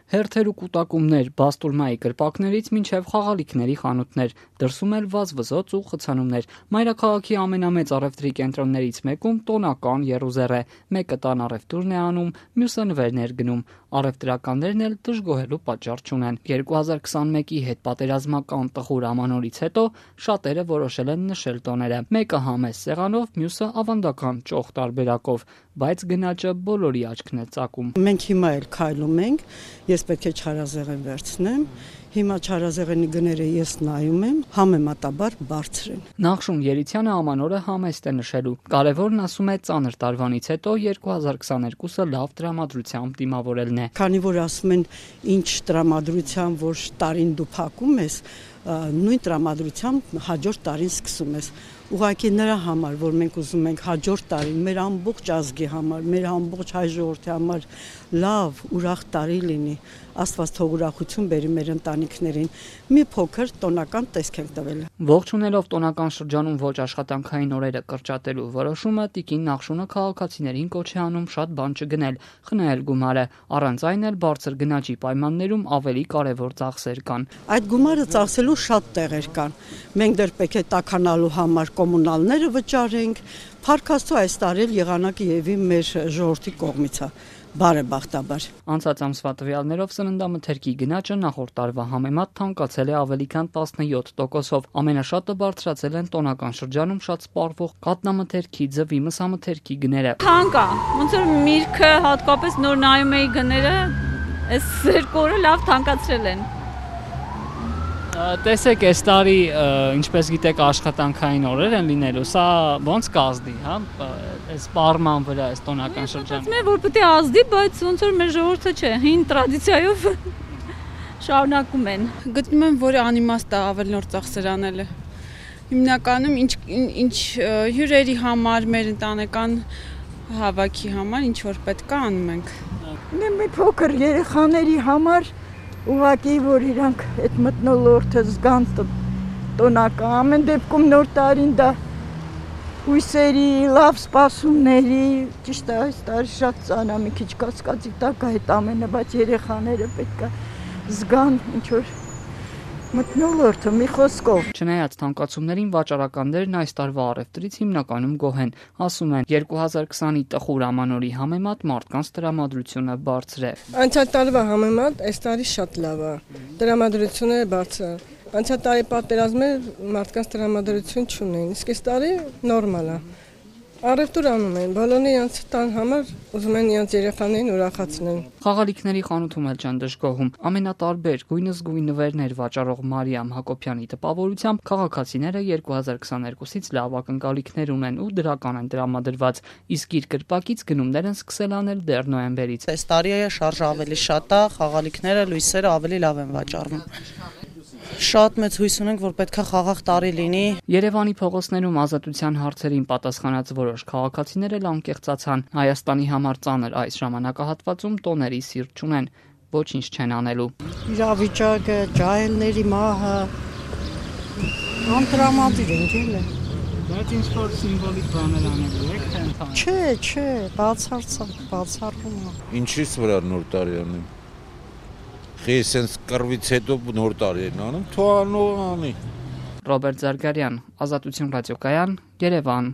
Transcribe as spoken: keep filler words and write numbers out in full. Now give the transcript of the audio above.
Հերթեր ու կուտակումներ, բաստուրմայի կրպակներից մինչև խաղալիքների խանութներ, դրսում էլ վազվզոց ու խցանումներ։ Մայրաքաղաքի ամենամեծ առևտրի կենտրոններից մեկում տոնական եռուզեռ է։ Մեկը տան առևտուրն է անում, մյուսը նվերներ գնում։ Առևտրականներն էլ դժգոհելու պատճառ չունեն։ երկու հազար քսանմեկի հետպատերազմական տխուր ամանորից հետո շատերը որոշել են նշել տոները։ Մեկը համեստ սեղանով, մյուսը ավանդական ճոխ տարբերակով, բայց գնաճը բոլորի աչքն է ծակում։ Մենք հիմա էլ քայլում ենք, ես պետք է չարազեղեն վերցնեմ, հիմա չարազեղենի գները ես նայում եմ, համեմատաբար բարձր են։ Նախշուն Երիցյանը ամանորը համեստ է նշելու։ Կարևորն, ասում է, ծանր տարվանից հետո երկու հազար քսաներկուսը լավ տրամադրությամբ դիմավորելն է։ Քանի որ ասում են, ինչ տրամադրությամբ, որ տարին դու փակում ես, նույն տրամադրությամբ հաջորդ տարին սկսում ես։ Ուղղակի նրա համար, որ մենք ուզում ենք հաջորդ տարին մեր ամբողջ ազգի համար, մեր ամբողջ հայ ժողովրդի համար լավ, ուրախ տարի լինի, Աստված թող ուրախություն բերի մեր ընտանիքներին, մի փոքր տոնական տեսք ենք տվել։ Ողջունելով տոնական շրջանում ոչ աշխատանքային օրերը կրճատելու որոշումը, տիկին Նախշունը քաղաքացիներին կոչ է անում շատ բան չգնել, խնայել գումարը, առանց այն էլ բարձր գնաճի պայմաններում ավելի կարևոր ծախսեր կան։ Այդ գումարը ծախսելու շատ տեղեր կան։ Մենք դեռ պետք է տաքանալու համար կոմունալները վճարենք, Փառք Աստծո այս տարի էլ եղանակը եւի մեր ժողովրդի կողմից է, բարեբախտաբար։ Անցած ամսվա տվյալներով սննդամթերքի գնաճը նախորդ տարվա համեմատ թանկացել է ավելի քան տասնյոթ տոկոսով։ Ամենաշատը բարձրացել են տոնական շրջանում շատ սպառվող կատնամթերքի, ձվի, մսամթերքի գները։ Թանկ է, ոնց որ միրգը հատկապես նոր նայում էի գները, այս երկու օրը լավ թանկացրել են։ Տեսեք, այս տարի, ինչպես գիտեք, աշխատանքային օրեր են լինելու, սա ոնց կազդի, հա, այս սպառման վրա, այս տոնական շրջանում։ Ես որ պետք է ազդի, բայց ոնց որ մեր ժողովուրդը չէ, հին տրադիցիայով շարունակում են։ Գտնում եմ, որ անիմաստ է ավելի նոր ծախսեր անելը։ Հիմնականում ինչ ինչ հյուրերի համար, մեր ընտանեկան հավաքի համար, ինչ որ պետք է անում ենք։ Մի փոքր երեխաների համար ուղղակի որ իրանք այդ մթնոլորտը զգան տոնական, ամեն դեպքում նոր տարին դա հույսերի, լավ սպասումների, ճիշտ է այս տարի շատ ծանր, մի քիչ կասկածի տակ է այդ ամենը, բայց երեխաները պետք է զգան ինչ որ մթնոլորտը մի խոսքով։ Չնայած թանկացումներին վաճառականներն այս տարվա առևտրից հիմնականում գոհ են, ասում են երկու հազար քսանի տխուր ամանորի համեմատ մարդկանց տրամադրությունը բարձր է։ Անցյալ տարվա համեմատ այս տարի շատ լավ է, տրամադրությունը բարձր։ Անցյալ տարի պատերազմը մարդկանց տրամադրություն չունեն, իսկ այս տարի նորմալ է։ Առևտուր անում են, բոլորը իրենց տան համար ուզում են իրենց երեխաներին ուրախացնել։ Խաղալիքների խանութում էլ չեն դժգոհում։ Ամենատարբեր գույնզգույն նվերներ վաճառող Մարիամ Հակոբյանի տպավորությամբ քաղաքացիները երկու հազար քսաներկուսից լավ ակնկալիքներ ունեն ու դրական են տրամադրված, իսկ իր կրպակից գնումներ են սկսել անել դեռ նոյեմբերից։ Այս տարի է շարժը ավելի շատ է, խաղալիքները, լույսերը ավելի լավ են վաճառվում։ Շատ մեծ հույս ունենք, որ պետք է խաղաղ տարի լինի։ Երևանի փողոցներում ազատության հարցերին պատասխանած որոշ քաղաքացիներ էլ անկեղծացան։ Հայաստանի համար ծանր այս ժամանակահատվածում տոների սիրտ չունեն, ոչինչ չեն անելու։ Իրավիճակը, ջահելների մահը, անտրամադիր են ելը։ Բայց ինչ որ սիմվոլիկ բաներ անելու եք, թե ընդհանուր։ Չէ, չէ, բացարձակ, բացառվում է։ Ինչի՞ց վրա նոր տարի անեմ։ Ես sense կռվից հետո նոր տարի են անում, թող անող անի։ Ռոբերտ Զարգարյան, Ազատություն ռադիոկայան, Երևան։